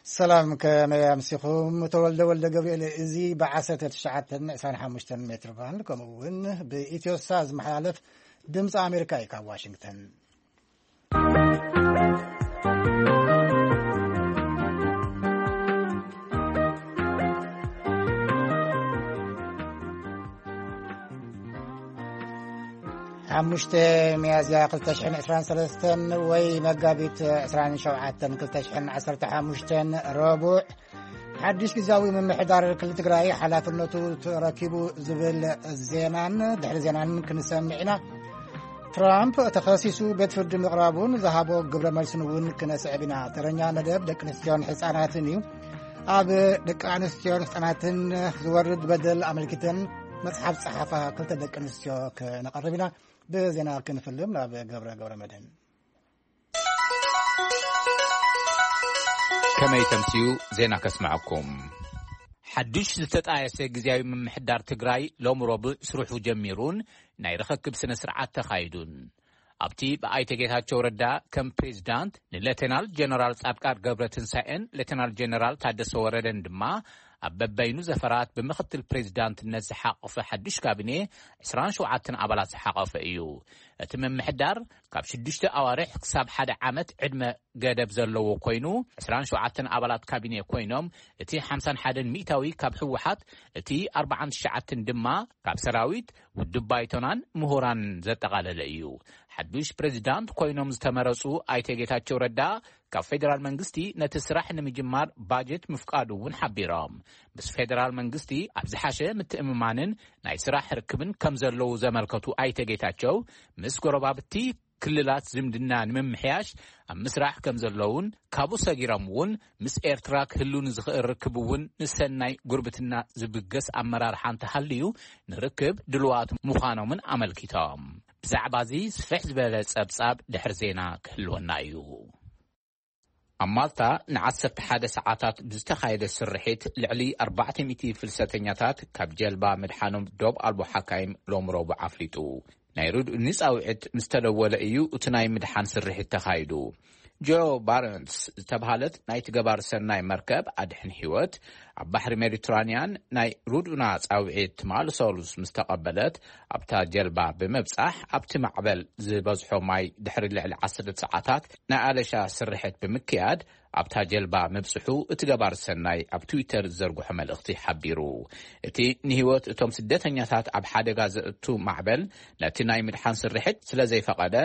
ሰላም፣ ከመይ ኣምሲኹም? ተወልደ ወልደ ገብርኤል። እዚ ብ1925 ሜትር ባንድ፣ ከምኡ እውን ብኢትዮሳ ዝመሓላለፍ ድምፂ ኣሜሪካ እዩ ካብ ዋሽንግተን። ሓሙሽተ ሚያዝያ ክልተ ሽሕን ዕስራን ሰለስተን ወይ መጋቢት ዕስራን ሸውዓተን ክልተ ሽሕን ዓሰርተ ሓሙሽተን ረቡዕ፣ ሓድሽ ግዝያዊ ምምሕዳር ክልል ትግራይ ሓላፍነቱ ተረኪቡ ዝብል ዜናን ድሕሪ ዜናን ክንሰምዕ ኢና። ትራምፕ ተኸሲሱ ቤት ፍርዲ ምቕራቡን ዝሃቦ ግብረ መልስን እውን ክነስዕብ ኢና። ተረኛ መደብ ደቂ ኣንስትዮን ህፃናትን እዩ። ኣብ ደቂ ኣንስትዮን ህፃናትን ዝወርድ በደል ኣመልኪተን መፅሓፍ ፀሓፋ ክልተ ደቂ ኣንስትዮ ክነቐርብ ኢና። ብዜና ክንፍልም ናብ ገብረ ገብረ መድህን። ከመይ ተምስዩ? ዜና ከስምዐኩም። ሓዱሽ ዝተጣየሰ ግዝያዊ ምምሕዳር ትግራይ ሎም ረቡዕ ስርሑ ጀሚሩን ናይ ርኽክብ ስነ ስርዓት ተኻይዱን። ኣብቲ ብኣይተ ጌታቸው ረዳ ከም ፕሬዝዳንት፣ ንሌተናል ጀነራል ጻድቃን ገብረ ትንሳኤን ሌተናል ጀነራል ታደሰ ወረደን ድማ ኣብ በበይኑ ዘፈራት ብምኽትል ፕሬዝዳንትነት ዝሓቆፈ ሓዱሽ ካቢኔ ዕስራን ሸውዓተን ኣባላት ዝሓቆፈ እዩ። እቲ ምምሕዳር ካብ ሽዱሽተ ኣዋርሕ ክሳብ ሓደ ዓመት ዕድመ ገደብ ዘለዎ ኮይኑ፣ ዕስራን ሸውዓተን ኣባላት ካቢኔ ኮይኖም፣ እቲ ሓምሳን ሓደን ሚእታዊ ካብ ህወሓት፣ እቲ ኣርባዓን ትሽዓተን ድማ ካብ ሰራዊት፣ ውድብ ባይቶናን ምሁራን ዘጠቓለለ እዩ። ሓዱሽ ፕሬዚዳንት ኮይኖም ዝተመረጹ ኣይተ ጌታቸው ረዳ፣ ካብ ፌዴራል መንግስቲ ነቲ ስራሕ ንምጅማር ባጀት ምፍቃዱ እውን ሓቢሮም። ምስ ፌዴራል መንግስቲ ኣብ ዝሓሸ ምትእምማንን ናይ ስራሕ ርክብን ከም ዘለዉ ዘመልከቱ ኣይተ ጌታቸው፣ ምስ ጎረባብቲ ክልላት ዝምድና ንምምሕያሽ ኣብ ምስራሕ ከም ዘለዉን፣ ካብኡ ሰጊሮም እውን ምስ ኤርትራ ክህሉ ንዝኽእል ርክብ እውን ንሰናይ ጉርብትና ዝብገስ ኣመራርሓ እንተሃልዩ ንርክብ ድልዋት ምዃኖምን ኣመልኪቶም። ብዛዕባ እዚ ስፍሕ ዝበለ ጸብጻብ ድሕሪ ዜና ክህልወና እዩ። ኣብ ማልታ ንዓሰርተ ሓደ ሰዓታት ብዝተኻየደ ስርሒት ልዕሊ ኣርባዕተ ሚእቲ ፍልሰተኛታት ካብ ጀልባ ምድሓኖም ዶብ ኣልቦ ሓካይም ሎም ረቡዕ ኣፍሊጡ። ናይ ርድኡ ንጻውዒት ምስ ተደወለ እዩ እቲ ናይ ምድሓን ስርሒት ተኻይዱ። ጆ ባረንስ ዝተባህለት ናይቲ ገባር ሰናይ መርከብ ኣድሕን ህይወት ኣብ ባሕሪ ሜዲትራንያን ናይ ርድኡና ጻውዒት ትማሊ ሰሉስ ምስ ተቐበለት፣ ኣብታ ጀልባ ብምብጻሕ ኣብቲ ማዕበል ዝበዝሖ ማይ ድሕሪ ልዕሊ ዓሰርተ ሰዓታት ናይ ኣለሻ ስርሕት ብምክያድ ኣብታ ጀልባ ምብጽሑ እቲ ገባር ሰናይ ኣብ ትዊተር ዝዘርግሖ መልእኽቲ ሓቢሩ። እቲ ንህይወት እቶም ስደተኛታት ኣብ ሓደጋ ዘእቱ ማዕበል ነቲ ናይ ምድሓን ስርሕት ስለ ዘይፈቐደ፣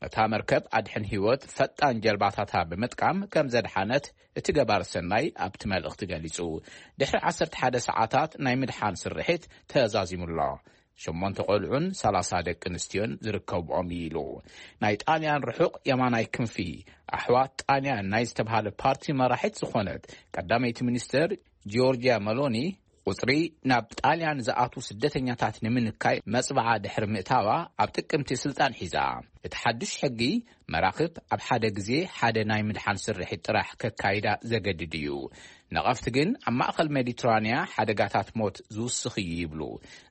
እታ መርከብ ኣድሕን ህይወት ፈጣን ጀልባታታ ብምጥቃም ከም ዘድሓነት እቲ ገባር ሰናይ ኣብቲ መልእኽቲ ገሊጹ። ድሕሪ ዓሰርተ ሓደ ሰዓታት ናይ ምድሓን ስርሒት ተዛዚሙ ኣሎ። ሸሞንተ ቆልዑን ሰላሳ ደቂ ኣንስትዮን ዝርከብኦም እዩ ኢሉ። ናይ ጣልያን ርሑቕ የማናይ ክንፊ ኣሕዋት ጣልያን ናይ ዝተብሃለ ፓርቲ መራሒት ዝኾነት ቀዳመይቲ ሚኒስተር ጂዮርጂያ መሎኒ፣ ቁጽሪ ናብ ጣልያን ዝኣትዉ ስደተኛታት ንምንካይ መጽብዓ ድሕሪ ምእታዋ ኣብ ጥቅምቲ ስልጣን ሒዛ። እቲ ሓድሽ ሕጊ መራኽብ ኣብ ሓደ ግዜ ሓደ ናይ ምድሓን ስርሒት ጥራሕ ከካይዳ ዘገድድ እዩ። ነቐፍቲ ግን ኣብ ማእከል ሜዲትራንያ ሓደጋታት ሞት ዝውስኽ እዩ ይብሉ።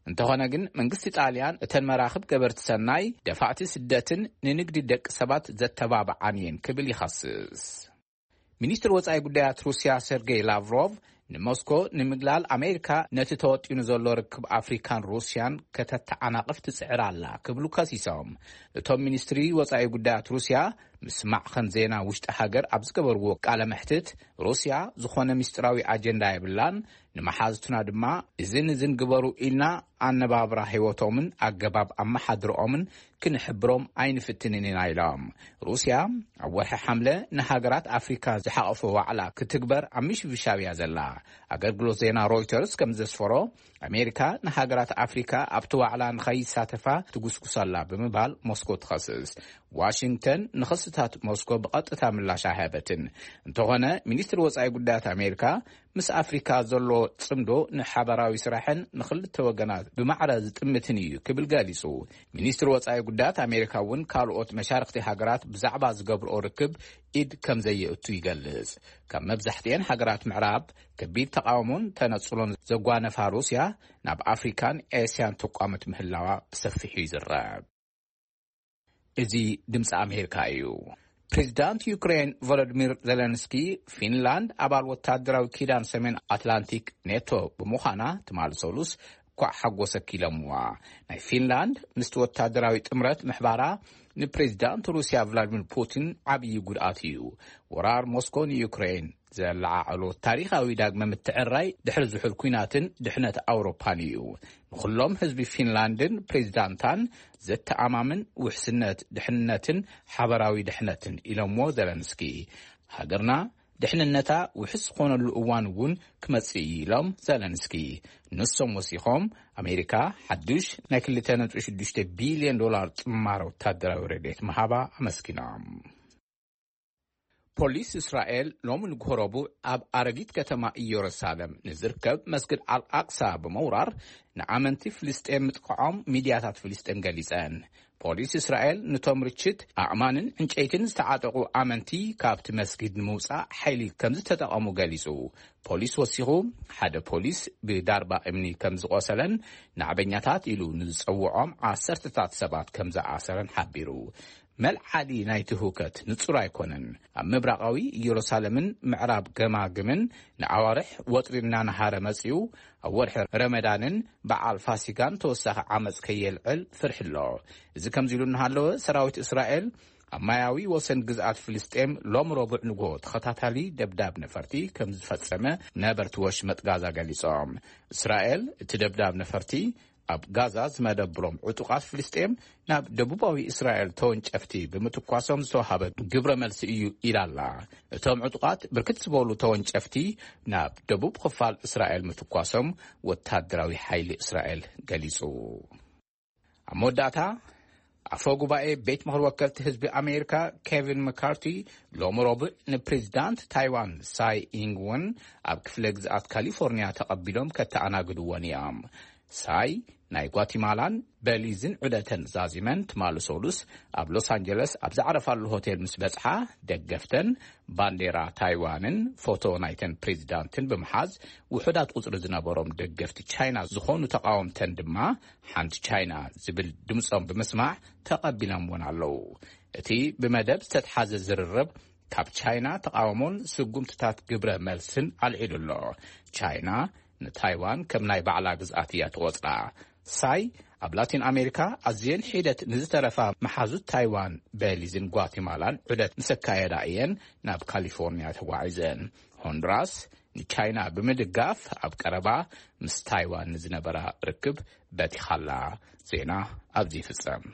እንተኾነ ግን መንግስቲ ጣልያን እተን መራኽብ ገበርቲ ሰናይ፣ ደፋእቲ ስደትን ንንግዲ ደቂ ሰባት ዘተባብዓን እየን ክብል ይኸስስ። ሚኒስትር ወጻኢ ጉዳያት ሩስያ ሰርጌይ ላቭሮቭ ንሞስኮ ንምግላል ኣሜሪካ ነቲ ተወጢኑ ዘሎ ርክብ ኣፍሪካን ሩስያን ከተተዓናቕፍ ትጽዕር ኣላ ክብሉ ከሲሶም። እቶም ሚኒስትሪ ወጻኢ ጉዳያት ሩስያ ምስ ማዕኸን ዜና ውሽጢ ሃገር ኣብ ዝገበርዎ ቃለ መሕትት፣ ሩስያ ዝኾነ ምስጢራዊ ኣጀንዳ የብላን፣ ንመሓዝቱና ድማ እዝን እዝን ግበሩ ኢልና ኣነባብራ ህይወቶምን ኣገባብ ኣመሓድርኦምን ክንሕብሮም ኣይንፍትንን ኢና ኢሎም። ሩስያ ኣብ ወርሒ ሓምለ ንሃገራት ኣፍሪካ ዝሓቐፈ ዋዕላ ክትግበር ኣብ ምሽብሻብ እያ ዘላ። ኣገልግሎት ዜና ሮይተርስ ከም ዘስፈሮ፣ ኣሜሪካ ንሃገራት ኣፍሪካ ኣብቲ ዋዕላ ንኸይሳተፋ ትጉስጉስ ኣላ ብምባል ሞስኮ ትኸስስ። ዋሽንግተን ንኽስታት ሞስኮ ብቐጥታ ምላሽ ኣይሃበትን። እንተኾነ፣ ሚኒስትሪ ወጻኢ ጉዳያት ኣሜሪካ ምስ ኣፍሪካ ዘሎ ጽምዶ ንሓበራዊ ስራሕን ንኽልተ ወገናት ብማዕረ ዝጥምትን እዩ ክብል ገሊጹ። ሚኒስትሪ ወጻኢ ጉዳያት ኣሜሪካ እውን ካልኦት መሻርኽቲ ሃገራት ብዛዕባ ዝገብርኦ ርክብ ኢድ ከም ዘየእቱ ይገልጽ። ካብ መብዛሕትኤን ሃገራት ምዕራብ ከቢድ ተቓውሞን ተነጽሎን ዘጓነፋ ሩስያ፣ ናብ ኣፍሪካን ኤስያን ተቋመት ምህላዋ ብሰፊሑ ይዝረብ። እዚ ድምፂ ኣሜሪካ እዩ። ፕሬዚዳንት ዩክሬን ቮሎዲሚር ዜለንስኪ፣ ፊንላንድ ኣባል ወታደራዊ ኪዳን ሰሜን ኣትላንቲክ ኔቶ ብምዃና ትማሊ ሰሉስ ኳዕ ሓጎሰኪ ኢሎምዋ። ናይ ፊንላንድ ምስቲ ወታደራዊ ጥምረት ምሕባራ ንፕሬዚዳንት ሩስያ ቭላዲሚር ፑቲን ዓብዪ ጉድኣት እዩ። ወራር ሞስኮ ንዩክሬን ዘለዓዕሎ ታሪኻዊ ዳግመ ምትዕራይ ድሕሪ ዝሑል ኲናትን ድሕነት ኣውሮፓን እዩ። ንኹሎም ህዝቢ ፊንላንድን ፕሬዚዳንታን ዘተኣማምን ውሕስነት ድሕነትን ሓበራዊ ድሕነትን ኢሎምዎ ዘለንስኪ። ሃገርና ድሕንነታ ውሕስ ዝኾነሉ እዋን እውን ክመጽእ እዩ ኢሎም ዘለንስኪ። ንሶም ወሲኾም፣ ኣሜሪካ ሓዱሽ ናይ ክልተ ነጥቢ ሽዱሽተ ቢልዮን ዶላር ጥማር ወታደራዊ ረድኤት ምሃባ ኣመስኪኖም። ፖሊስ እስራኤል ሎሚ ንግሆ ረቡዕ ኣብ ኣረጊት ከተማ ኢየሩሳሌም ንዝርከብ መስጊድ ኣልኣቅሳ ብምውራር ንኣመንቲ ፍልስጤም ምጥቃዖም ሚድያታት ፍልስጤም ገሊጸን። ፖሊስ እስራኤል ንቶም ርችት ኣእማንን ዕንጨይትን ዝተዓጠቑ ኣመንቲ ካብቲ መስጊድ ንምውጻእ ሓይሊ ከም ዝተጠቐሙ ገሊጹ። ፖሊስ ወሲኹ፣ ሓደ ፖሊስ ብዳርባ እምኒ ከም ዝቖሰለን ናዕበኛታት ኢሉ ንዝጸውዖም ዓሰርተታት ሰባት ከም ዝኣሰረን ሓቢሩ። መልዓሊ ናይቲ ህውከት ንጹር ኣይኮነን። ኣብ ምብራቓዊ ኢየሩሳሌምን ምዕራብ ገማግምን ንኣዋርሕ ወጥሪ እናነሃረ መጺኡ፣ ኣብ ወርሒ ረመዳንን በዓል ፋሲጋን ተወሳኺ ዓመጽ ከየልዕል ፍርሒ ኣሎ። እዚ ከምዚ ኢሉ እናሃለወ፣ ሰራዊት እስራኤል ኣብ ማያዊ ወሰን ግዝኣት ፍልስጤም ሎም ረቡዕ ንግሆ ተኸታታሊ ደብዳብ ነፈርቲ ከም ዝፈጸመ ነበርቲ ወሽመጥ ጋዛ ገሊጾም። እስራኤል እቲ ደብዳብ ነፈርቲ ኣብ ጋዛ ዝመደብሮም ዕጡቓት ፍልስጤም ናብ ደቡባዊ እስራኤል ተወንጨፍቲ ብምትኳሶም ዝተዋሃበ ግብረ መልሲ እዩ ኢላላ። እቶም ዕጡቓት ብርክት ዝበሉ ተወንጨፍቲ ናብ ደቡብ ክፋል እስራኤል ምትኳሶም ወታደራዊ ሓይሊ እስራኤል ገሊጹ። ኣብ መወዳእታ፣ ኣፈ ጉባኤ ቤት ምኽሪ ወከልቲ ህዝቢ ኣሜሪካ ኬቪን መካርቲ ሎሚ ረቡዕ ንፕሬዚዳንት ታይዋን ሳይ ኢንግወን ኣብ ክፍለ ግዝኣት ካሊፎርኒያ ተቐቢሎም ከተኣናግድወን እዮም። ሳይ ናይ ጓቲማላን በሊዝን ዑደተን ዛዚመን ትማሊ ሰሉስ ኣብ ሎስ ኣንጀለስ ኣብ ዝዓረፋሉ ሆቴል ምስ በጽሓ፣ ደገፍተን ባንዴራ ታይዋንን ፎቶ ናይተን ፕሬዚዳንትን ብምሓዝ፣ ውሑዳት ቁጽሪ ዝነበሮም ደገፍቲ ቻይና ዝኾኑ ተቓወምተን ድማ ሓንቲ ቻይና ዝብል ድምጾም ብምስማዕ ተቐቢሎምወን ኣለዉ። እቲ ብመደብ ዝተትሓዘ ዝርርብ ካብ ቻይና ተቓውሞን ስጉምትታት ግብረ መልስን ኣልዒሉ ኣሎ። ቻይና ንታይዋን ከም ናይ ባዕላ ግዝኣት እያ ትቖጽራ። ሳይ ኣብ ላቲን ኣሜሪካ ኣዝየን ሒደት ንዝተረፋ መሓዙት ታይዋን፣ በሊዝን ጓቲማላን ዑደት ምስ ኣካየዳ እየን ናብ ካሊፎርኒያ ተጓዒዘን። ሆንዱራስ ንቻይና ብምድጋፍ ኣብ ቀረባ ምስ ታይዋን ንዝነበራ ርክብ በቲኻላ። ዜና ኣብዚ ይፍጸም።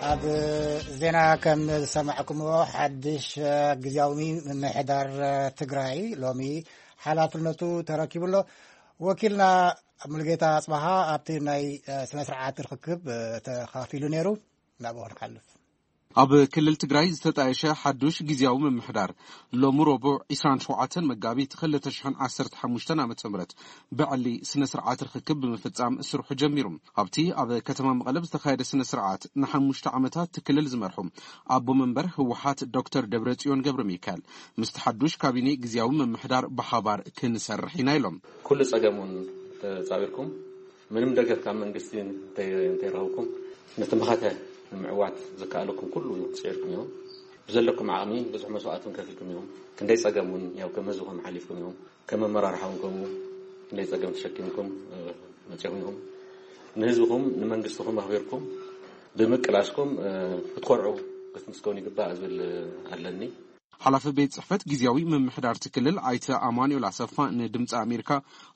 ኣብ ዜና ከም ዝሰማዕኩምዎ፣ ሓድሽ ግዝያዊ ምምሕዳር ትግራይ ሎሚ ሓላፍነቱ ተረኪቡ ኣሎ። ወኪልና ሙሉጌታ ኣጽባሃ ኣብቲ ናይ ስነ ስርዓት ርክክብ ተኻፊሉ ነይሩ። ናብኡ ክንሓልፍ። ኣብ ክልል ትግራይ ዝተጣየሸ ሓዱሽ ግዝያዊ ምምሕዳር ሎሚ ረቡዕ ዕስራን ሸውዓተን መጋቢት ክልተ ሽሕን ዓሰርተ ሓሙሽተን ዓመተ ምህረት ብዕሊ ስነ ስርዓት ርክክብ ብምፍጻም ስርሑ ጀሚሩ። ኣብቲ ኣብ ከተማ መቐለ ዝተኻየደ ስነ ስርዓት ንሓሙሽተ ዓመታት እቲ ክልል ዝመርሑ ኣቦ መንበር ህወሓት ዶክተር ደብረጽዮን ገብረ ሚካኤል ምስቲ ሓዱሽ ካቢኔ ግዝያዊ ምምሕዳር ብሓባር ክንሰርሕ ኢና ኢሎም። ኩሉ ጸገም እውን ተጻዊርኩም ምንም ደገፍ ካብ መንግስቲ እንተይ-፣ እንተይረኸብኩም፣ ነቲ መኸተ ንምዕዋት ዝከኣለኩም ኩሉ ጽዒርኩም ኢኹም። ብዘለኩም ዓቕሚ ብዙሕ መስዋእቲ እውን ከፊልኩም ኢኹም። ክንደይ ጸገም እውን ያው ከም ህዝብኹም ሓሊፍኩም ኢኹም። ከም ኣመራርሓ እውን ከምኡ ክንደይ ጸገም ተሸኪምኩም፣ እ፣ መጺኹም ኢኹም። ንህዝብኹም ንመንግስትኹም ኣኽቢርኩም ብምቅላስኩም፣ እ፣ ክትኮርዑ ክትምስገኑ ይግባእ ዝብል ኣለኒ። ሓላፊ ቤት ጽሕፈት ግዝያዊ ምምሕዳር እቲ ክልል ኣይተ ኣማኑኤል ኣሰፋ ንድምፂ ኣሜሪካ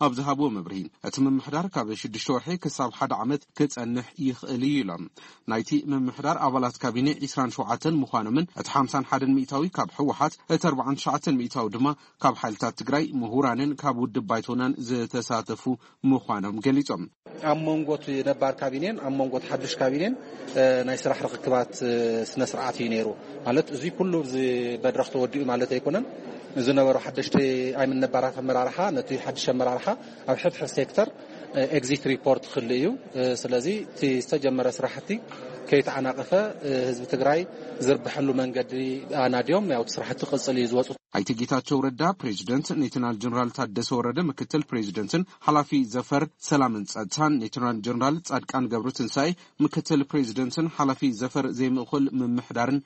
ኣብ ዝሃብዎ መብርሂ፣ እቲ ምምሕዳር ካብ ሽዱሽተ ወርሒ ክሳብ ሓደ ዓመት ክጸንሕ ይኽእል እዩ ኢሎም። ናይቲ ምምሕዳር ኣባላት ካቢኔ ዕስራን ሸውዓተን ምዃኖምን እቲ ሓምሳን ሓደን ሚእታዊ ካብ ህወሓት፣ እቲ ኣርባዓን ትሽዓተን ሚእታዊ ድማ ካብ ሓይልታት ትግራይ፣ ምሁራንን ካብ ውድብ ባይቶናን ዝተሳተፉ ምዃኖም ገሊጾም። ኣብ መንጎ እቲ ነባር ካቢኔን ኣብ መንጎ እቲ ሓዱሽ ካቢኔን፣ እ፣ ናይ ስራሕ ርክክባት፣ እ፣ ስነ ስርዓት እዩ ነይሩ። ማለት፣ እዚ ኩሉ እዚ መድረኽ ተወዲኡ ማለት ኣይኮነን። ዝነበሩ ሓደሽቲ ኣይምን ነባራት ኣመራርሓ፣ ነቲ ሓድሽ ኣመራርሓ ኣብ ሕድሕድ ሴክተር፣ እ፣ ኤግዚት ሪፖርት ክህሉ እዩ። እ፣ ስለዚ እቲ ዝተጀመረ ስራሕቲ ከይተዓናቐፈ፣ እ፣ ህዝቢ ትግራይ ዝርብሐሉ መንገዲ ኣናድዮም፣ ያው እቲ ስራሕቲ ክቕፅል እዩ ዝወፁ። ኣይተ ጌታቸው ረዳ ፕሬዚደንት፣ ሌተናል ጀነራል ታደሰ ወረደ ምክትል ፕሬዚደንትን ሓላፊ ዘፈር ሰላምን ጸጥታን፣ ሌተናል ጀነራል ጻድቃን ገብረ ትንሳኤ ምክትል ፕሬዚደንትን ሓላፊ ዘፈር ዘይምእኩል ምምሕዳርን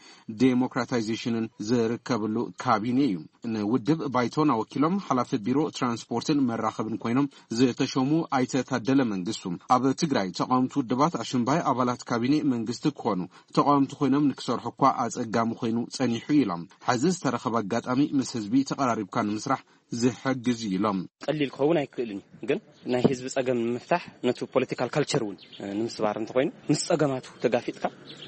ዴሞክራታይዜሽንን ዝርከብሉ ካቢኔ እዩ። ንውድብ ባይቶን ኣወኪሎም ሓላፊ ቢሮ ትራንስፖርትን መራኸብን ኮይኖም ዝተሾሙ ኣይተ ታደለ መንግስቱ፣ ኣብ ትግራይ ተቃወምቲ ውድባት ኣሽምባይ ኣባላት ካቢኔ መንግስቲ ክኾኑ፣ ተቃወምቲ ኮይኖም ንክሰርሑ እኳ ኣጸጋሚ ኮይኑ ጸኒሑ ኢሎም። ሕዚ ዝተረኸበ ኣጋጣሚ ምስ ህዝቢ ተቐራሪብካ ንምስራሕ ዝሕግዝ እዩ ኢሎም። ቀሊል ክኸውን ኣይክእልን እዩ፣ ግን ናይ ህዝቢ ጸገም ንምፍታሕ ነቲ ፖለቲካል ካልቸር እውን ንምስባር እንተኮይኑ፣ ምስ ጸገማቱ ተጋፊጥካ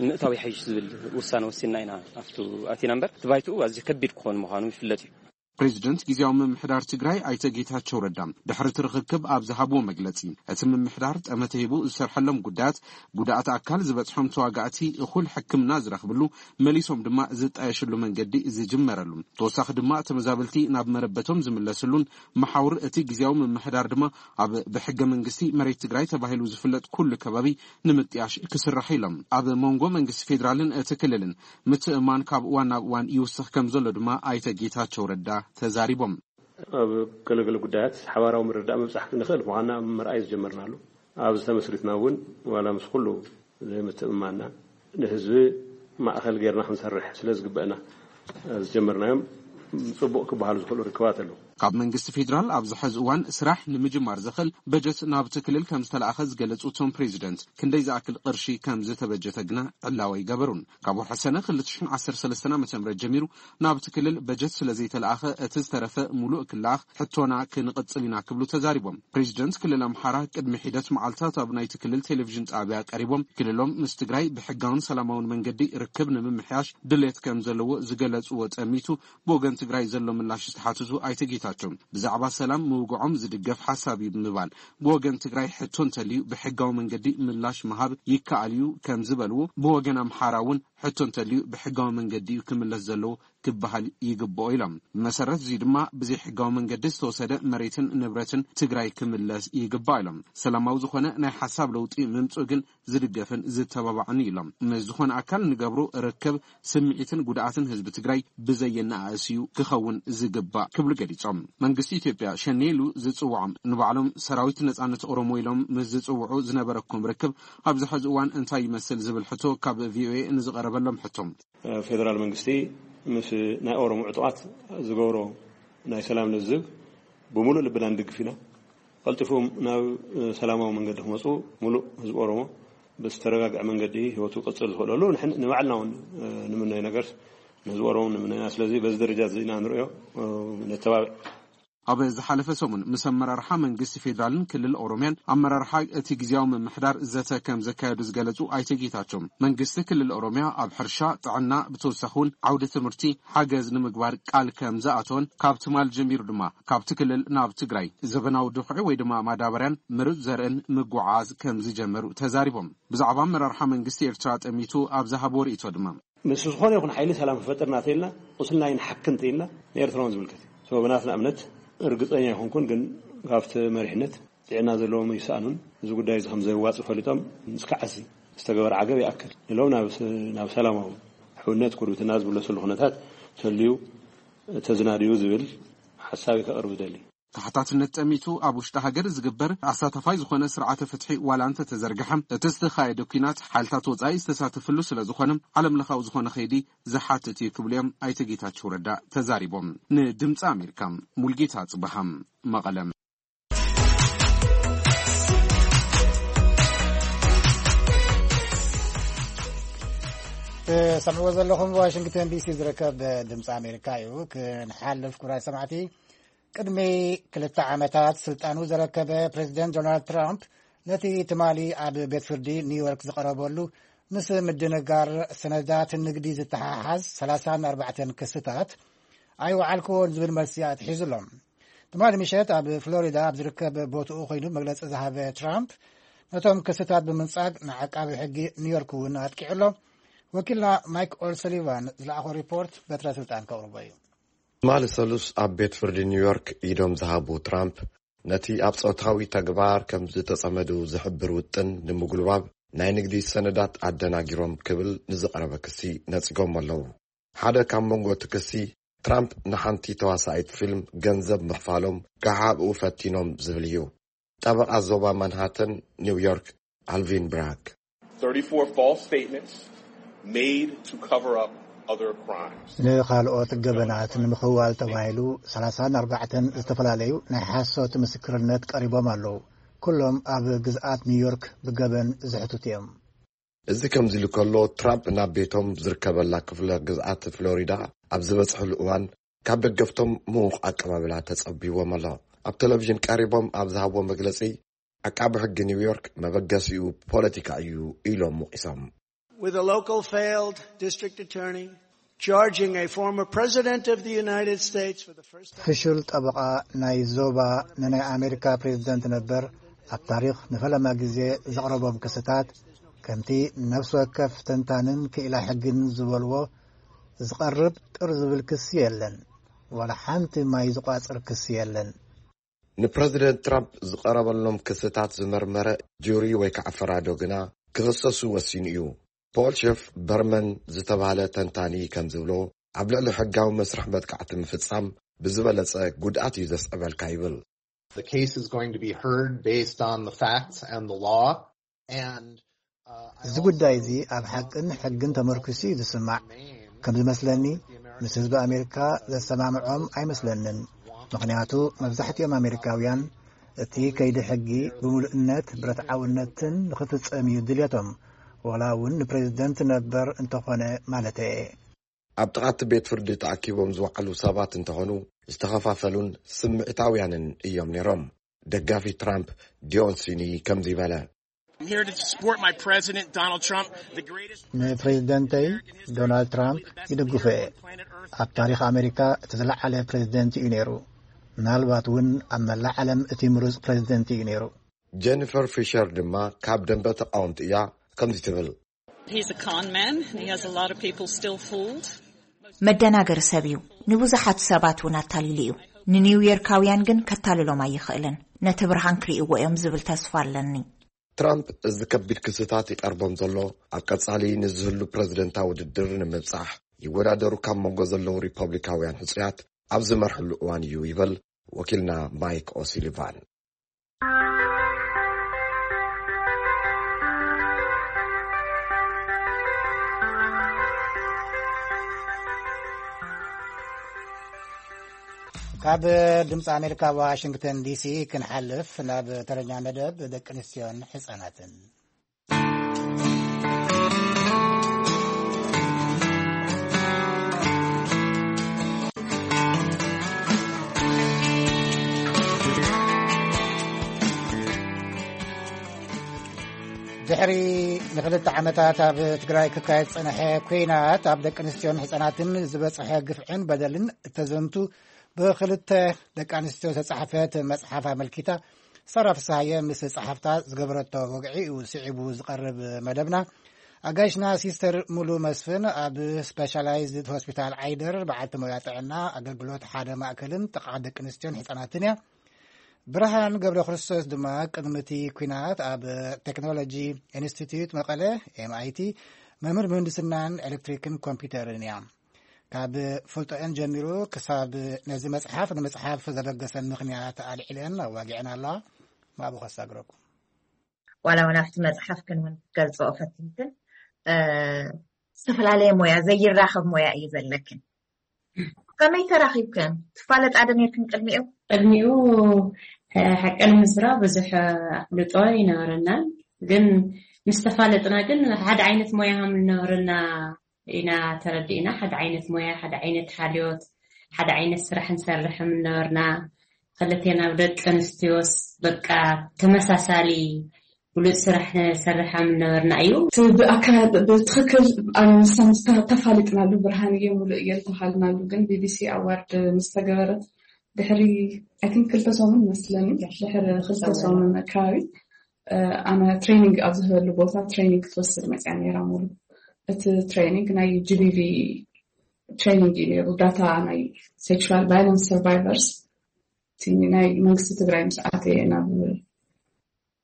ምእታው ይሓይሽ ዝብል ውሳነ ወሲንና ኢና። ኣብቱ ኣቲና እምበር፣ እቲ ባይትኡ ኣዝዩ ከቢድ ክኾን ምዃኑ ይፍለጥ እዩ። ፕሬዚደንት ግዜያዊ ምምሕዳር ትግራይ ኣይተ ጌታቸው ረዳ ድሕሪ እቲ ርኽክብ ኣብ ዝሃብዎ መግለጺ፣ እቲ ምምሕዳር ጠመተ ሂቡ ዝሰርሐሎም ጉዳያት፣ ጉድኣት ኣካል ዝበጽሖም ተዋጋእቲ እኹል ሕክምና ዝረኽብሉ፣ መሊሶም ድማ ዝጣየሽሉ መንገዲ ዝጅመረሉ፣ ተወሳኺ ድማ ተመዛበልቲ ናብ መረበቶም ዝምለስሉን መሓውር እቲ ግዜያዊ ምምሕዳር ድማ ኣብ ብሕገ መንግስቲ መሬት ትግራይ ተባሂሉ ዝፍለጥ ኩሉ ከባቢ ንምጥያሽ ክስራሕ ኢሎም። ኣብ መንጎ መንግስቲ ፌዴራልን እቲ ክልልን ምትእማን ካብ እዋን ናብ እዋን ይውስኽ ከም ዘሎ ድማ ኣይተ ጌታቸው ረዳ ተዛሪቦም። ኣብ ገለገለ ጉዳያት ሓባራዊ ምርዳእ ምብጻሕ ክንኽእል ምዃንና ምርኣይ ዝጀመርናሉ፣ ኣብዚ ተመስሪትና እውን ዋላ ምስ ኩሉ ዘይምትእምማንና ንህዝቢ ማእኸል ጌርና ክንሰርሕ ስለ ዝግበአና ዝጀመርናዮም ጽቡቕ ክበሃሉ ዝኽእሉ ርክባት ኣለዉ። ካብ መንግስቲ ፌዴራል ኣብዚ ሕዚ እዋን ስራሕ ንምጅማር ዘኽእል በጀት ናብቲ ክልል ከም ዝተለኣኸ ዝገለጹ እቶም ፕሬዚደንት፣ ክንደይ ዝኣክል ቅርሺ ከም ዝተበጀተ ግና ዕላወ ኣይገበሩን። ካብ ወርሒ ሰነ ክልተ ሽሕን ዓሰርተ ሰለስተን ዓመተ ምህረት ጀሚሩ ናብቲ ክልል በጀት ስለ ዘይተለኣኸ፣ እቲ ዝተረፈ ሙሉእ ክለኣኽ ሕቶና ክንቕጽል ኢና ክብሉ ተዛሪቦም። ፕሬዚደንት ክልል ኣምሓራ ቅድሚ ሒደት መዓልታት ኣብ ናይቲ ክልል ቴሌቪዥን ጣብያ ቀሪቦም፣ ክልሎም ምስ ትግራይ ብሕጋውን ሰላማውን መንገዲ ርክብ ንምምሕያሽ ድሌት ከም ዘለዎ ዝገለጽዎ ጠሚቱ፣ ብወገን ትግራይ ዘሎ ምላሽ ዝተሓትቱ ኣይተ ጌታቸው፣ ብዛዕባ ሰላም ምውግዖም ዝድገፍ ሓሳብ እዩ ብምባል፣ ብወገን ትግራይ ሕቶ እንተልዩ ብሕጋዊ መንገዲ ምላሽ ምሃብ ይከኣል እዩ ከም ዝበልዎ፣ ብወገን ኣምሓራ እውን ሕቶ እንተልዩ ብሕጋዊ መንገዲ እዩ ክምለስ ዘለዎ ክበሃል ይግብኦ ኢሎም። ብመሰረት እዚ ድማ ብዘይ ሕጋዊ መንገዲ ዝተወሰደ መሬትን ንብረትን ትግራይ ክምለስ ይግባእ ኢሎም። ሰላማዊ ዝኾነ ናይ ሓሳብ ለውጢ ምምፅኡ ግን ዝድገፍን ዝተባባዕን እዩ ኢሎም። ምስ ዝኾነ ኣካል ንገብሮ ርክብ ስምዒትን ጉድኣትን ህዝቢ ትግራይ ብዘየነኣእስ እዩ ክኸውን ዝግባእ ክብሉ ገሊጾም። መንግስቲ ኢትዮጵያ ሸኔ ኢሉ ዝጽውዖም ንባዕሎም ሰራዊት ነጻነት ኦሮሞ ኢሎም ምስ ዝጽውዑ ዝነበረኩም ርክብ ኣብዚ ሕዚ እዋን እንታይ ይመስል ዝብል ሕቶ ካብ ቪኦኤ ንዝቐረበሎም ሕቶ፣ ፌደራል መንግስቲ ምስ ናይ ኦሮሞ ዕጡቓት ዝገብሮ ናይ ሰላም ልዝብ ብምሉእ ልብና ንድግፍ ኢና። ቀልጢፎም ናብ ሰላማዊ መንገዲ ክመፁ፣ ሙሉእ ህዝቢ ኦሮሞ ብዝተረጋግዐ መንገዲ ህይወቱ ክቕፅል ዝኽእለሉ ንሕን-፣ ንባዕልና እውን ንምነዮ ነገር ንህዝቢ ኦሮሞ ንምነዮ ኢና። ስለዚ በዚ ደረጃ እዚ ኢና ንሪኦ፣ ነተባብዕ። ኣብ ዝሓለፈ ሰሙን ምስ ኣመራርሓ መንግስቲ ፌዴራልን ክልል ኦሮሚያን ኣመራርሓ እቲ ግዜያዊ ምምሕዳር ዘተ ከም ዘካየዱ ዝገለጹ ኣይተ ጌታቸው፣ መንግስቲ ክልል ኦሮሚያ ኣብ ሕርሻ፣ ጥዕና፣ ብተወሳኺ እውን ዓውዲ ትምህርቲ ሓገዝ ንምግባር ቃል ከም ዝኣተወን ካብ ትማል ጀሚሩ ድማ ካብቲ ክልል ናብ ትግራይ ዘበናዊ ድኹዒ ወይ ድማ ማዳበርያን ምሩፅ ዘርእን ምጉዓዝ ከም ዝጀመሩ ተዛሪቦም። ብዛዕባ ኣመራርሓ መንግስቲ ኤርትራ ጠሚቱ ኣብ ዝሃቦ ርእይቶ ድማ፣ ምስ ዝኾነ ይኹን ሓይሊ ሰላም ክፈጥር እናተኢልና፣ ቁስልና ይንሓክ እንተኢልና፣ ንኤርትራውን ዝምልከት እዩ። So ብናትና እምነት ርግጸኛ ኣይኮንኩን፣ ግን ካብቲ መሪሕነት ጥዕና ዘለዎም ይሰኣኑን፣ እዚ ጉዳይ እዚ ከም ዘየዋጽእ ፈሊጦም፣ እስካዕ እዚ ዝተገበረ ዓገብ ይኣክል ኢሎም ናብ ስ-፣ ናብ ሰላማዊ ሕውነት፣ ጉርብትና ዝምለሰሉ ኩነታት ተልዩ ተዝናድዩ ዝብል ሓሳብ ከቕርብ እደሊ። ተሓታትነት ጠሚቱ ኣብ ውሽጢ ሃገር ዝግበር ኣሳታፋይ ዝኾነ ስርዓተ ፍትሒ ዋላ እንተተዘርግሐ፣ እቲ ዝተኻየደ ኲናት ሓይልታት ወጻኢ ዝተሳተፍሉ ስለ ዝኾነ፣ ዓለም ለኻዊ ዝኾነ ከይዲ ዝሓትት እዩ ክብሉ እዮም ኣይተ ጌታቸው ረዳ ተዛሪቦም። ንድምፂ ኣሜሪካ፣ ሙልጌታ ጽበሃ፣ መቐለ። ትሰምዕዎ ዘለኹም ዋሽንግተን ዲሲ ዝርከብ ድምፂ ኣሜሪካ እዩ። ክንሓልፍ፣ ክቡራት ሰማዕቲ፣ ቅድሚ ክልተ ዓመታት ስልጣኑ ዘረከበ ፕሬዚደንት ዶናልድ ትራምፕ፣ ነቲ ትማሊ ኣብ ቤት ፍርዲ ኒውዮርክ ዝቐረበሉ ምስ ምድንጋር ሰነዳት ንግዲ ዝተሓሓዝ ሰላሳን ኣርባዕተን ክስታት ኣይወዓልክዎን ዝብል መልሲ ኣትሒዙ ኣሎ። ትማሊ ምሸት ኣብ ፍሎሪዳ ኣብ ዝርከብ ቦትኡ ኮይኑ መግለጺ ዝሃበ ትራምፕ፣ ነቶም ክስታት ብምንጻግ ንዓቃቢ ሕጊ ኒውዮርክ እውን ኣጥቂዑ ኣሎ። ወኪልና ማይክ ኦልሰሊቫን ዝለኣኾ ሪፖርት በትረ ስልጣን ከቕርቦ እዩ። ትማሊ ሰሉስ ኣብ ቤት ፍርዲ ኒውዮርክ ኢዶም ዝሃቡ ትራምፕ፣ ነቲ ኣብ ጾታዊ ተግባር ከም ዝተጸመዱ ዝሕብር ውጥን ንምጉልባብ ናይ ንግዲ ሰነዳት ኣደናጊሮም ክብል ንዝቐረበ ክሲ ነጺጎም ኣለዉ። ሓደ ካብ መንጎ እቲ ክሲ፣ ትራምፕ ንሓንቲ ተዋሳኢት ፊልም ገንዘብ ምኽፋሎም ክሓብኡ ፈቲኖም ዝብል እዩ። ጠበቓ ዞባ ማንሃተን ኒውዮርክ ኣልቪን ብራክ። thirty-four false statements made to cover up other crimes. ንኻልኦት ገበናት ንምኽዋል ተባሂሉ ሰላሳን ኣርባዕተን ዝተፈላለዩ ናይ ሓሶት ምስክርነት ቀሪቦም ኣለዉ። ኩሎም ኣብ ግዝኣት ኒውዮርክ ብገበን ዝሕትቱ እዮም። እዚ ከምዚ ኢሉ ከሎ፣ ትራምፕ ናብ ቤቶም ዝርከበላ ክፍለ ግዝኣት ፍሎሪዳ ኣብ ዝበጽሕሉ እዋን፣ ካብ ደገፍቶም ምዉቕ ኣቀባብላ ተጸቢዎም ኣሎ። ኣብ ቴሌቪዥን ቀሪቦም ኣብ ዝሃብዎ መግለጺ፣ ዓቃቢ ሕጊ ኒውዮርክ መበገሲኡ ፖለቲካ እዩ ኢሎም ወቒሶም። With a local failed district attorney charging a former president of the United States for the first time. ፍሹል ጠበቓ ናይ ዞባ ንናይ ኣሜሪካ ፕሬዝደንት ነበር ኣብ ታሪኽ ንፈለማ ግዜ ዘቕረቦም ክስታት፣ ከምቲ ነፍሲ ወከፍ ተንታንን ክኢላ ሕግን ዝበልዎ፣ ዝቐርብ ጥር ዝብል ክሲ የለን። ዋላ ሓንቲ ማይ ዝቋጽር ክሲ የለን። ንፕረዚደንት ትራምፕ ዝቐረበሎም ክስታት ዝመርመረ ጁሪ ወይ ከዓ ፈራዶ ግና ክኽሰሱ ወሲኑ እዩ። ፖል ሸፍ በርመን ዝተባህለ ተንታኒ ከም ዝብሎ፣ ኣብ ልዕሊ ሕጋዊ መስርሕ መጥቃዕቲ ምፍጻም ብዝበለጸ ጉድኣት እዩ ዘስዕበልካ ይብል። The case is going to be heard based on the facts and the law. And uh, I እዚ ጉዳይ እዚ ኣብ ሓቅን ሕግን ተመርኪሱ እዩ ዝስማዕ። ከም ዝመስለኒ፣ ምስ ህዝቢ ኣሜሪካ ዘሰማምዖም ኣይመስለንን። ምኽንያቱ፣ መብዛሕትኦም ኣሜሪካውያን እቲ ከይዲ ሕጊ ብምሉእነት ብረትዓውነትን ንኽፍጸም እዩ ድልየቶም፣ ዋላ እውን ንፕሬዝደንት ነበር እንተኾነ ማለተየ። ኣብ ጥቓቲ ቤት ፍርዲ ተኣኪቦም ዝወዓሉ ሰባት እንተኾኑ፣ ዝተኸፋፈሉን ስምዒታውያንን እዮም ነይሮም። ደጋፊ ትራምፕ ዲዮን ሲኒ ከምዚ በለ። I'm here to support my president, Donald Trump, the greatest ንፕሬዝደንተይ ዶናልድ ትራምፕ ይድግፎ እየ። ኣብ ታሪኽ ኣሜሪካ እቲ ዝለዓለ ፕሬዝደንት እዩ ነይሩ። ምናልባት እውን ኣብ መላእ ዓለም እቲ ምሩፅ ፕሬዝደንት እዩ ነይሩ። ጀኒፈር ፊሸር ድማ ካብ ደንበ ተቃወምቲ እያ። ከምዚ ትብል። He's a con man. He has a lot of people still fooled. መደናገሪ ሰብ እዩ። ንብዙሓት ሰባት እውን ኣታሊሉ እዩ። ንኒውዮርካውያን ግን ከታልሎም ኣይኽእልን። ነቲ ብርሃን ክርእይዎ እዮም ዝብል ተስፋ ኣለኒ። ትራምፕ እዚ ከቢድ ክስታት ይቐርቦም ዘሎ፣ ኣብ ቀጻሊ ንዝህሉ ፕረዚደንታዊ ውድድር ንምብጻሕ ይወዳደሩ ካብ መንጎ ዘለዉ ሪፐብሊካውያን ሕጹያት ኣብ ዝመርሕሉ እዋን እዩ ይብል ወኪልና ማይክ ኦሲሊቫን። ካብ ድምፂ ኣሜሪካ ዋሽንግተን ዲሲ ክንሓልፍ ናብ ተረኛ መደብ ደቂ ኣንስትዮን ሕፃናትን። ድሕሪ ንክልተ ዓመታት ኣብ ትግራይ ክካየድ ዝጸንሐ ኲናት ኣብ ደቂ ኣንስትዮን ህጻናትን ዝበጽሐ ግፍዕን በደልን እተዘንቱ ብክልተ ደቂ ኣንስትዮ ዝተጻሕፈት መጽሓፍ ኣመልኪታ ሳራ ፍስሃየ ምስ ጸሓፍታ ዝገበረቶ ወግዒ እዩ ስዒቡ ዝቐርብ መደብና። ኣጋይሽና ሲስተር ሙሉ መስፍን ኣብ ስፔሻላይዝድ ሆስፒታል ዓይደር በዓልቲ ሞያ ጥዕና ኣገልግሎት ሓደ ማእከልን ጥቕዓት ደቂ ኣንስትዮን ህጻናትን እያ። ብርሃን ገብረ ክርስቶስ ድማ ቅድሚ እቲ ኲናት ኣብ ቴክኖሎጂ ኢንስቲትዩት መቐለ ኤምኣይቲ መምህር ምህንድስናን ኤሌክትሪክን ኮምፒውተርን እያ። ካብ ፍልጦኤን ጀሚሩ ክሳብ ነዚ መጽሓፍ ንምጽሓፍ ዘበገሰን ምኽንያት ኣልዒለን ኣዋጊዐን ኣለዋ። ማእቡ ከሳግረኩም። ዋላ ዋላ ኣብቲ መጽሓፍክን እውን ክትገልጽኦ ፈቲንክን፣ እ፣ ዝተፈላለየ ሞያ፣ ዘይራኸብ ሞያ እዩ ዘለክን። ከመይ ተራኺብክን? ትፋለጣ ዶ ነርክን ቅድሚኡ? ቅድሚኡ፣ እ፣ ሓቂ ንምዝራብ ብዙሕ ኣፍልጦ ኣይነበረናን፣ ግን ምስ ተፋለጥና ግን ሓደ ዓይነት ሞያ ከም ዝነበረና ኢና ተረዲእና። ሓደ ዓይነት ሞያ፣ ሓደ ዓይነት ሓልዮት፣ ሓደ ዓይነት ስራሕ ንሰርሕ ከም ዝነበርና፣ ክልቴና ኣብ ደቂ ኣንስትዮስ በቃ ተመሳሳሊ ብሉጽ ስራሕ ንሰርሕ ከም ዝነበርና እዩ። እቲ ብኣካ-፣ ብትኽክል ኣነ ንሳ ምስ ተ-፣ ተፋሊጥናሉ፣ ብርሃን እየ ሙሉእ እየ ዝተባሃልናሉ፣ ግን ቢቢሲ ኣዋርድ ምስ ተገበረት ድሕሪ፣ ኣይ ቲንክ፣ ክልተ ሰሙን መስለኒ፣ ድሕሪ ክልተ ሰሙን ኣካባቢ፣ እ፣ ኣነ ትሬኒንግ ኣብ ዝህበሉ ቦታ ትሬኒንግ ክትወስድ መፅያ ነይራ። ሙሉ እቲ ትሬኒንግ ናይ ጂቢቪ ትሬኒንግ እዩ ነይሩ። ዳታ ናይ ሴክሹዋል ቫይለንስ ሰርቫይቨርስ፣ እቲ ናይ መንግስቲ ትግራይ ምስ ኣተየ ናብ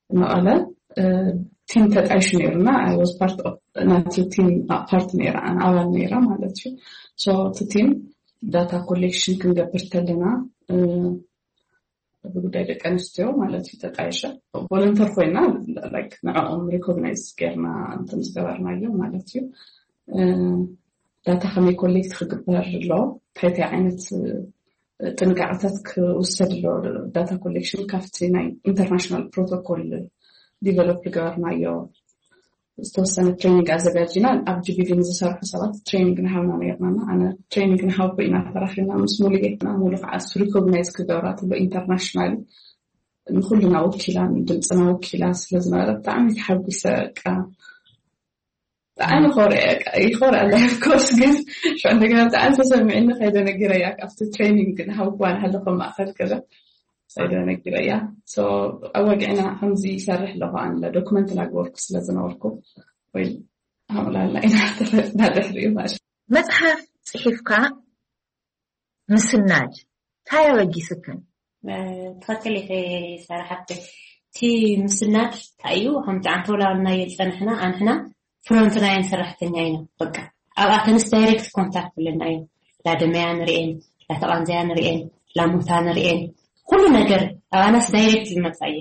መቐለ፣ እ፣ ቲም ተጣይሹ ነይሩና። I was part of ናቲ ቲም ፓርት ነይራ፣ ኣነ ኣባል ነይራ ማለት እዩ። ሶ እቲ ቲም data collection ክንገብር ተለና ብጉዳይ ደቂ ኣንስትዮ ማለት እዩ ተጣይሸ volunteer ኮይና ንዕኦም recognize ጌርና እንትን ዝገበርናዮ ማለት እዩ። data ከመይ collect ክግበር ኣሎ እንታይ እንታይ ዓይነት ጥንቃቐታት ክውሰድ ኣሎ data collection ካብቲ ናይ international protocol develop ዝገበርናዮ ዝተወሰነ training ኣዘጋጅና ኣብ GBV ንዝሰርሑ ሰባት training ንሃብና ነርና ኣነ training ንሃቦ ኢና ተራኺብና ምስ ሙሉጌትና ሙሉ ከዓ recognize ክገብራ ትሎ international ንኩልና ወኪላ ድምፅና ወኪላ ስለዝነበረ ብጣዕሚ ተሓጒሰ ቃ ብጣዕሚ ኮርያ ይኮር ኣለ of course ግን ሽዑ እንደገና ብጣዕሚ ተሰሚዕኒ ከይደ ነጊረያ ካብቲ training ግን ሃውኳን ሃለኮ ማእኸል ክለ ከይደ ነጊረያ ኣወግዕና ከምዚ ይሰርሕ ኣለኹ ኣንለ document ላግበርኩ ስለዝነበርኩ ወይ ሃምላልና ኢና ተፈጥና ድሕሪኡ ማለት መፅሓፍ ፅሒፍካ ምስናድ እንታይ ኣበጊስክን ትኽክል ኢኺ ሳራ ሓፍተይ እቲ ምስናድ እንታይ እዩ ከምቲ ኣንተ ወላወልናዮ ዝፀናሕና ኣንሕና front line ሰራሕተኛ ኢና በቃ ኣብኣተንስ direct contact ኣለና እዩ ላደመያ ንርኤን ላተቓንዘያ ንርኤን ላሞታ ንርኤን ኩሉ ነገር ኣባናስ direct ዝመፃ እዩ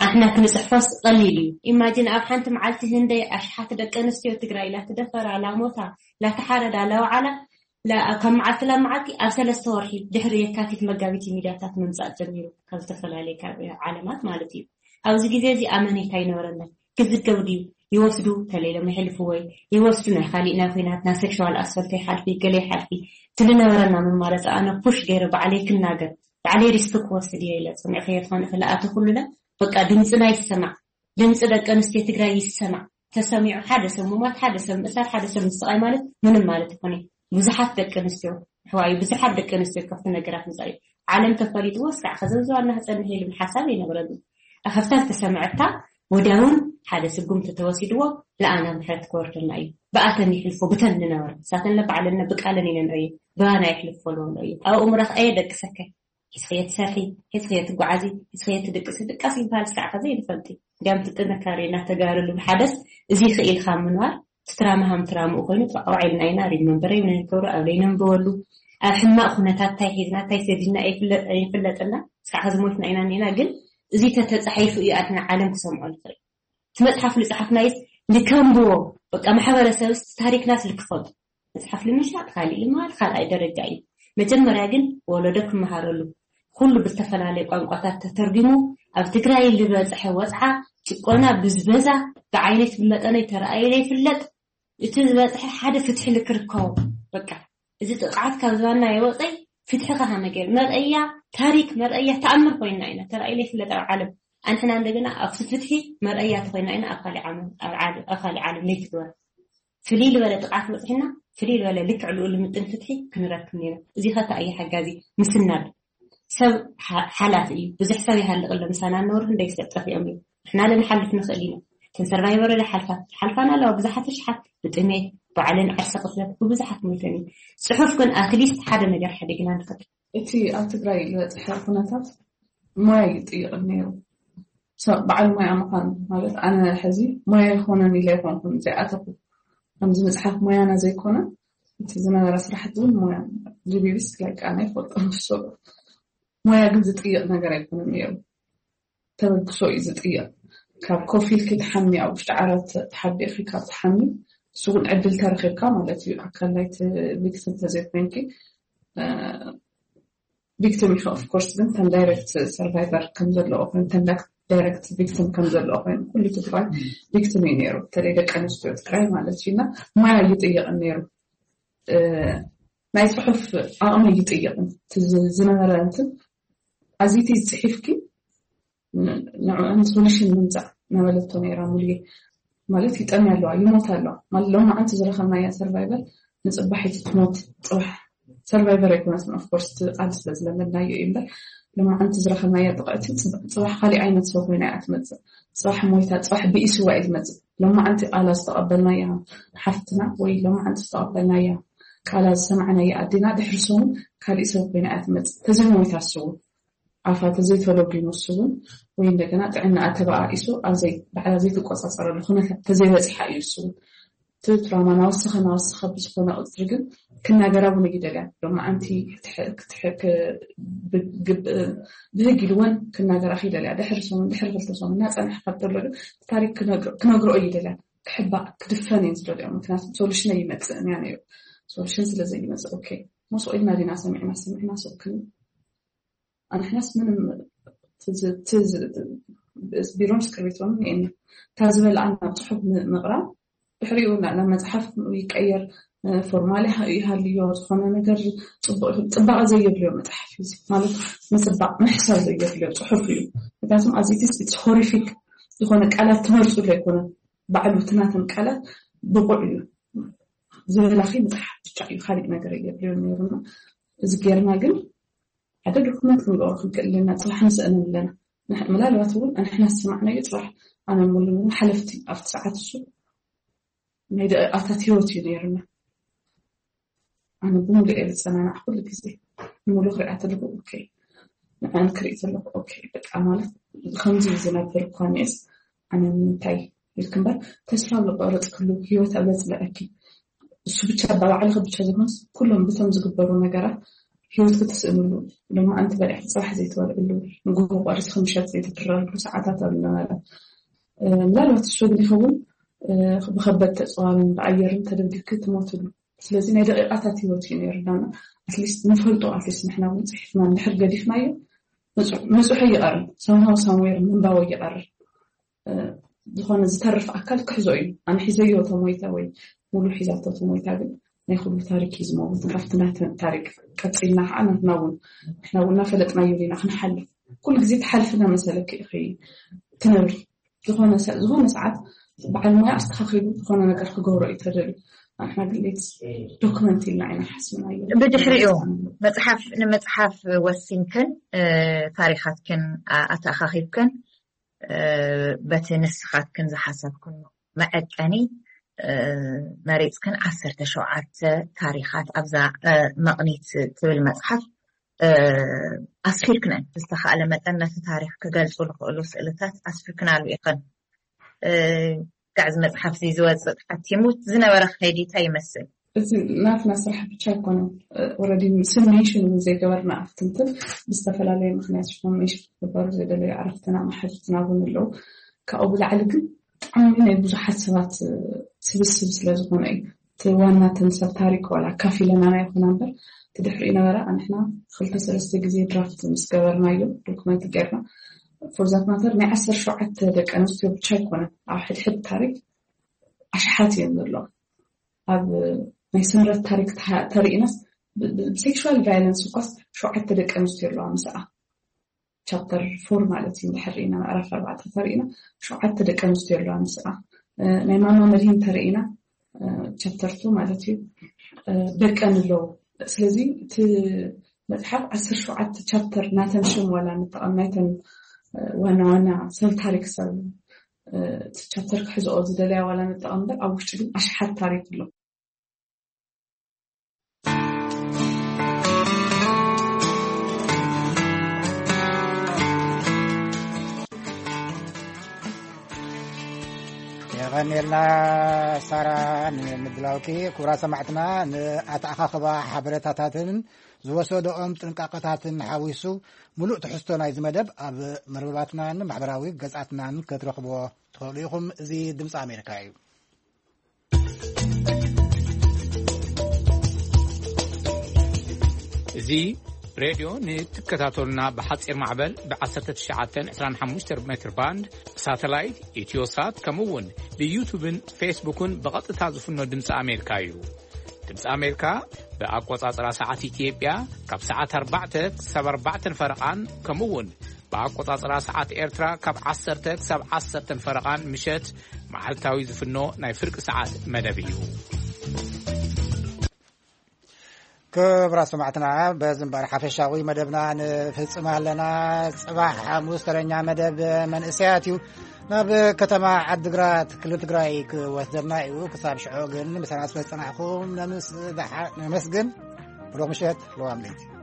ኣሕና ክንፅሕፎስ ቀሊል እዩ imagine ኣብ ሓንቲ መዓልቲ ህንደይ ኣሽሓት ደቂ ኣንስትዮ ትግራይ ላተደፈራ ላሞታ ላተሓረዳ ላወዓላ ካብ መዓልቲ ናብ መዓልቲ ኣብ ሰለስተ ወርሒ ድሕሪ የካቲት መጋቢት ሚድያታት ምምፃእ ጀሚሩ ካብ ዝተፈላለዩ ዓለማት ማለት እዩ ኣብዚ ግዜ እዚ ኣመኔታ ይነበረና ክዝገብ ድዩ ይወስዱ ተለይሎም ይሕልፍዎ ይወስዱ ናይ ካሊእ ናይ ኮይናት ናይ sexual assault ይሓልፊ ገለ ይሓልፊ ትልነበረና መማረፂ ኣነ push ገይረ ባዕለይ ክናገር ባዕለይ risk ክወስድ እየ ኢለ ፅኒዕክዮ ትኾን እኽእል ኣተኩሉለ በቃ ድምፅና ይሰማዕ ድምፂ ደቂ ኣንስትዮ ትግራይ ይሰማዕ ተሰሚዑ ሓደ ሰብ ምሟት ሓደ ሰብ ምእሳር ሓደ ሰብ ምስቃይ ማለት ምንም ማለት ይኮነ ብዙሓት ደቂ ኣንስትዮ ኣሕዋዩ ብዙሓት ደቂ ኣንስትዮ ካብቲ ነገራት ምፃ እዩ ዓለም ተፈሊጥዎ እስካዕ ከዘብዝባና ክፀንሕ ኢሉ ሓሳብ ይነብረሉ ኣኸፍታ ዝተሰምዐታ ወዲያውን ሓደ ስጉምቲ ተወሲድዎ ለኣና ምሕረት ክወርደና እዩ ብኣተን ይሕልፎ ብተን ንነበረ ሳተን ለባዕለነ ብቃለን ኢለን ርእዩ ብባና ይሕልፎ ልበሎ እዩ ኣብኡ ምረኽአየ ደቂ ሰከ ሒዝኽዮ ትሰርሒ፣ ሒዝኽዮ ትጓዓዚ፣ ሒዝኽዮ ትድቅሲ ድቃስ ይበሃል ክሳዕ ኸዚ ኣይንፈልጥ እዩ። እንዲያም እቲ ጥንካሬና ተጋሩ ልብል ሓደስ እዚ ኽኢልኻ ምንባር እቲ ትራማ ሃም ትራምኡ ኮይኑ ጥራቕ ኣውዒልና ኢና ሪመምበር የብልና ንገብሮ ኣብ ለይነንብበሉ ኣብ ሕማቕ ኩነታት ታይ ሒዝና ታይ ሰዲድና ኣይፍለጥና ክሳዕ ኸዚ ሞትና ኢና እኒና ግን እዚ ተተፃሒፉ እዩ ኣድና ዓለም ክሰምዖ ንኽእል እቲ መፅሓፍ ልፅሓፍናይስ ልከንብቦ በቃ ማሕበረሰብስ ታሪክናስ ልክፈቱ መፅሓፍ ልምሻጥ ካሊእ ልምሃር ካልኣይ ደረጃ እዩ። መጀመርያ ግን ወለዶ ክመሃረሉ ኩሉ ብዝተፈላለየ ቋንቋታት ተተርጒሙ ኣብ ትግራይ ልበፅሐ ወፅዓ፣ ጭቆና፣ ብዝበዛ፣ ብዓይነት ብመጠነይ ተረኣዩ ለይፍለጥ እቲ ዝበፅሐ ሓደ ፍትሒ ልክርከቦ በቃ እዚ ጥቕዓት ካብ ዝባና የወፀይ ፍትሒ ከሃ ነገር መርአያ ታሪክ መርአያ ተኣምር ኮይና ኢና ተረኣዩ ለይፍለጥ ኣብ ዓለም ኣንሕና እንደገና ኣብቲ ፍትሒ መርአያ ተኮይና ኢና ኣብ ካሊእ ዓለም ኣብ ዓለም ኣብ ካሊእ ዓለም ለይትግበር ፍልይ ዝበለ ጥቕዓት በፂሕና ፍልይ ዝበለ ልክዕ ልኡ ልምጥን ፍትሒ ክንረክብ ነይሩ። እዚ ኸ እንታይ እዩ ሓጋዚ? ምስናድ። ሰብ ሓላፊ እዩ። ብዙሕ ሰብ ይሃልቕ ኣሎ ምሳና እነብሩ ክንደይ ሰብ ጠፊኦም እዮም። ንሕና ለ ንሓልፍ ንኽእል ኢና። እተን ሰርቫይቨር ለ ሓልፋ ሓልፋና ኣለዋ ብዙሓት ኣሽሓት ብጥሜት፣ ብዓለን ዓርሰ ቅትለት ብብዙሓት ሞይተን እዩ። ፅሑፍ ግን ኣትሊስት ሓደ ነገር ሓዲግና ንኽእል። እቲ ኣብ ትግራይ ዝበፅሐ ኩነታት ሞያ ይጥይቕ ነይሩ። ሰብ በዓል ሞያ ምዃን ማለት ኣነ ሕዚ ሞያ ይኾነን ኢለ ኣይኮንኩን ዘይኣተኹ። ከምዚ መፅሓፍ ሞያና ዘይኮነ እቲ ዝነበረ ስራሕቲ እውን ሞያ ጂቢቢስ ላይክ ኣነ ኣይፈልጦ ንሱ ሞያ ግን ዝጥይቕ ነገር ኣይኮነን ነይሩ። ተበግሶ እዩ ዝጥይቕ። ካብ ኮፍ ኢልኪ ትሓሚ ኣብ ውሽጢ ዓራት ተሓቢእኺ ካብ ትሓሚ እሱ እውን ዕድል ተረኺብካ ማለት እዩ። ኣካል ናይቲ ቪክቲም ተዘይኮይንኪ ቪክቲም ኢኺ ኦፍኮርስ ግን ተን ዳይረክት ሰርቫይቨር ከም ዘለዎ ኮይኑ ተን ዳይረክት ቪክቲም ከም ዘለዎ ኮይኑ ኩሉ ትግራይ ቪክቲም እዩ ነይሩ በተለይ ደቂ ኣንስትዮ ትግራይ ማለት እዩ እና ሞያ ይጥይቕን ነይሩ ናይ ፅሑፍ ኣቕሚ ይጥይቕን ዝነበረ እንትን ኣዚቲ ዝፅሒፍኪ ንዕኡን ሶሉሽን ምምፃእ ነበለቶ ነይራ ሙሉጌ ማለት ይጠምያ ኣለዋ ይሞት ኣለዋ ማለት ሎማዓንቲ ዝረኸብናያ ሰርቫይቨር ንፅባሒቲ ትሞት ፅባሕ ሰርቫይቨር ኣይኮነትን ኦፍኮርስ እቲ ቃል ስለ ዝለመድናዮ እዩ እምበር ሎማዓንቲ ዝረኸብናያ ጥቕዕቲ ፅባሕ ካሊእ ዓይነት ሰው ኮይና እያ ትመፅእ ፅባሕ ሞይታ ፅባሕ ብኢስዋ እዩ ዝመፅእ ሎማዓንቲ ቃላ ዝተቐበልናያ ሓፍትና ወይ ሎማዓንቲ ዝተቐበልናያ ቃላ ዝሰማዕናያ ኣዴና ድሕሪ ሰሙን ካሊእ ሰብ ኮይና እያ ትመፅእ ተዘይሞይታ ስውን ኣፋ ተዘይተሎጊኑ እሱ እውን ወይ እንደገና ጥዕናኣ ተበኣኢሱ ኣብ ዘይ ባዕላ ዘይትቆፃፀረሉ ኩነታት ተዘይበፂሓ እዩ እሱ እውን እቲ ትራማ ናወሰኸ ናወሰኸ ብዝኾነ ቁፅሪ ግን ክናገራ እውን ይደልያ። ሎማዓንቲ ክትሕ- ክትሕ- ክ- ብ- ግብ- ብህግ ኢልወን ክናገራ ይደልያ። ድሕሪ ሰሙን ድሕሪ ክልተ ሰሙን እናፀንሐ ካብ ተሎ ግን ታሪክ ክነግሮ- ክነግሮ እዩ ይደልያ። ክሕባእ ክድፈን እየን ዝደልዮ። ምክንያቱ ሶሉሽን ይመፅእ እያ ነይሩ። ሶሉሽን ስለ ዘይመፅእ ኦኬ፣ ሞስቆ ኢልና ዲና ሰሚዕና ሰሚዕና ሰክን ኣንሕናስ ምንም ትዝ- ትዝ- ቢሮን እስክርቢቶን እየና እታ ዝበልዓ ናብ ፅሑፍ ም- ምቕራብ ድሕሪኡ ናብ መፅሓፍ ይቀየር። ፎርማል ይሃልዮ ዝኾነ ነገር ፅቡቅ ይኹን ፅባቐ ዘየድልዮ መፅሓፍ እዩ ማለት ምፅባቕ ምሕሳብ ዘየድልዮ ፅሑፍ እዩ። ምክንያቱም ኣዚቲስ ሆሪፊክ ዝኾነ ቃላት ትመርፁ ኣይኮነ ባዕሉ ትናተን ቃላት ብቑዕ እዩ ዝበላኺ መፅሓፍ ብቻ እዩ ካሊእ ነገር የድልዮ ነይሩና። እዚ ጌርና ግን ሓደ ዶክመንት ክንገብሮ ክንክእል ኣለና ፅባሕ ንስእን ኣለና። ምናልባት እውን ኣንሕና ዝሰማዕናዮ ፅባሕ ኣነ ሙሉ ሓለፍቲ ኣብቲ ሰዓት እሱ ናይ ደቂቃታት ህይወት እዩ ነይርና። ኣነ ብምሉእ እየ ዝፀናናዕ ኩሉ ግዜ ንሙሉ ክሪኣ ተለኩ ኦኬ ንዓን ክርኢ ተለኩ ኦኬ በቃ ማለት ከምዚ ዝነብር እኳ ኒስ ኣነ ንምንታይ ኢልክ እምበር ተስፋ ዝቆረፅክሉ ህይወት ኣብ ዘፅልዐኪ እሱ ብቻ ባባዕልኺ ብቻ ዘይኮንስ ኩሎም ብቶም ዝግበሩ ነገራት ህይወት ክትስእንሉ ሎማ ኣንቲ በሊዕኪ ፅባሕ ዘይትበልዕሉ ንጎሆ ቆሪስኪ ምሸት ዘይትድረርሉ ሰዓታት ኣብ ዝነበረ ምናልባት እሱ ግን ይኸውን ብኸበድ ተፅዋርን ብኣየርን ተደብዲብኪ ትሞትሉ ስለዚ ናይ ደቂቃታት ህይወት እዩ ነይሩ ዳና ኣትሊስት ንፈልጦ ኣትሊስት ንሕና እውን ፅሒፍና እንድሕር ገዲፍናዮ ምፁሑ ይቐርብ ሰምሃው ሳምዌር ምንባቦ ይቐርብ ዝኾነ ዝተርፍ ኣካል ክሕዞ እዩ ኣነ ሒዘዮ ተሞይተ ወይ ሙሉ ሒዛቶ ተሞይታ ግን ናይ ኩሉ ታሪክ እዩ ዝመውት ካብቲ ናተ ታሪክ ቀፂልና ከዓ ናትና እውን ንሕና እውን እናፈለጥናዮ ኢና ክንሓልፍ ኩሉ ግዜ ትሓልፍና መሰለኪ ኢኺ ትነብሪ ዝኾነ ሰ- ዝኾነ ሰዓት በዓል ሞያ ኣስተኻኺሉ ዝኾነ ነገር ክገብሮ እዩ ተደልዩ ንሕና ግን ሌት ዶክመንት ኢልና ኢና ሓስብናዮ ብድሕሪኡ መፅሓፍ ንምፅሓፍ ወሲንክን እ፣ ታሪኻትክን ኣ- ኣተኣኻኺብክን እ፣ በቲ ንስኻትክን ዝሓሰብክን መዐቀኒ እ፣ መሪፅክን ዓሰርተ ሸውዓተ ታሪኻት ኣብዛ እ፣ መቕኒት ትብል መፅሓፍ እ፣ ኣስፊርክነን ብዝተኻእለ መጠን ነቲ ታሪኽ ክገልፁ ዝኽእሉ ስእልታት ኣስፊርክናሉ ኢኽን እ፣ ጋዕ እዚ መፅሓፍ እዚ ዝወፅእ ሓቲሙ ዝነበረ ከይዲ እንታይ ይመስል እዚ ናትና ስራሕ ብቻ ኣይኮነን ኦረዲ ስም ሜንሽን እውን ዘይገበርና ኣብቲ እንትን ብዝተፈላለየ ምክንያት ሽፎን ሜንሽን ክግበሩ ዘይደለዩ ኣረፍትና ማሕዙትና እውን ኣለዉ ካብኡ ብላዕሊ ግን ብጣዕሚ ናይ ብዙሓት ሰባት ስብስብ ስለ ዝኾነ እዩ እቲ ዋና ተምሰል ታሪክ ዋላ ካፊለናና ይኹና እምበር እቲ ድሕሪኡ ነበረ ኣንሕና ክልተ ሰለስተ ግዜ ድራፍት ምስ ገበርናዮ ዶክመንት ጌርና ፎርዛት ማተር ናይ ዓሰርተ ሸውዓተ ደቂ ኣንስትዮ ብቻ ኣይኮነን ኣብ ሕድሕድ ታሪክ ኣሽሓት እዮም ዘለዉ ኣብ ናይ ስምረት ታሪክ ተሪኢናስ ብሴክሹዋል ቫይለንስ እኳስ ሸውዓተ ደቂ ኣንስትዮ ኣለዋ ምስኣ ቻፕተር ፎር ማለት እዩ እንድሕር ርኢና ምዕራፍ ኣርባዕተ ተሪኢና ሸውዓተ ደቂ ኣንስትዮ ኣለዋ ምስኣ ናይ ማማ መድሂን ተሪኢና ቻፕተር ቱ ማለት እዩ ደቀን ኣለዉ ስለዚ እቲ መፅሓፍ ዓሰርተ ሸውዓተ ቻፕተር ናተን ሽም ዋላ ንጠቐም ናይተን ዋና ዋና ሰብ ታሪክ ሰብ ቻፕተር ክሕዝኦ ዝደለያ ዋላ ንጠቐም እምበር ኣብ ውሽጢ ግን ኣሽሓት ታሪክ ኣሎ የቐንየልና ሳራ ንምድላውኪ ክቡራ ሰማዕትና ንኣተኣኻኽባ ሓበሬታታትን ዝወሰደኦም ጥንቃቐታትን ሓዊሱ ሙሉእ ትሕዝቶ ናይዚ መደብ ኣብ መርበባትናን ማሕበራዊ ገጻትናን ክትረኽብዎ ትኽእሉ ኢኹም። እዚ ድምፂ ኣሜሪካ እዩ። እዚ ሬድዮ ንትከታተሉና ብሓፂር ማዕበል ብ1925 ሜትር ባንድ ሳተላይት ኢትዮሳት ከምኡ እውን ብዩቱብን ፌስቡክን ብቐጥታ ዝፍኖ ድምፂ ኣሜሪካ እዩ። ድምፂ ኣሜሪካ ብኣቆፃፅራ ሰዓት ኢትዮጵያ ካብ ሰዓት ኣርባዕተ ክሳብ ኣርባዕተን ፈረቓን ከምኡ እውን ብኣቆፃፅራ ሰዓት ኤርትራ ካብ ዓሰርተ ክሳብ ዓሰርተን ፈረቓን ምሸት መዓልታዊ ዝፍኖ ናይ ፍርቂ ሰዓት መደብ እዩ። ክብራ ሰማዕትና በዚ እምበር ሓፈሻዊ መደብና ንፍጽም ኣለና። ጽባሕ ሓሙስ ተረኛ መደብ መንእሰያት እዩ። ናብ ከተማ ዓድግራት ክልል ትግራይ ክወስደና እዩ። ክሳብ ሽዑ ግን ምሳና ስለ ዝጸናሕኩም ነምስ- ነመስግን። ብሩኽ ምሸት። ለዋም ለይቲ።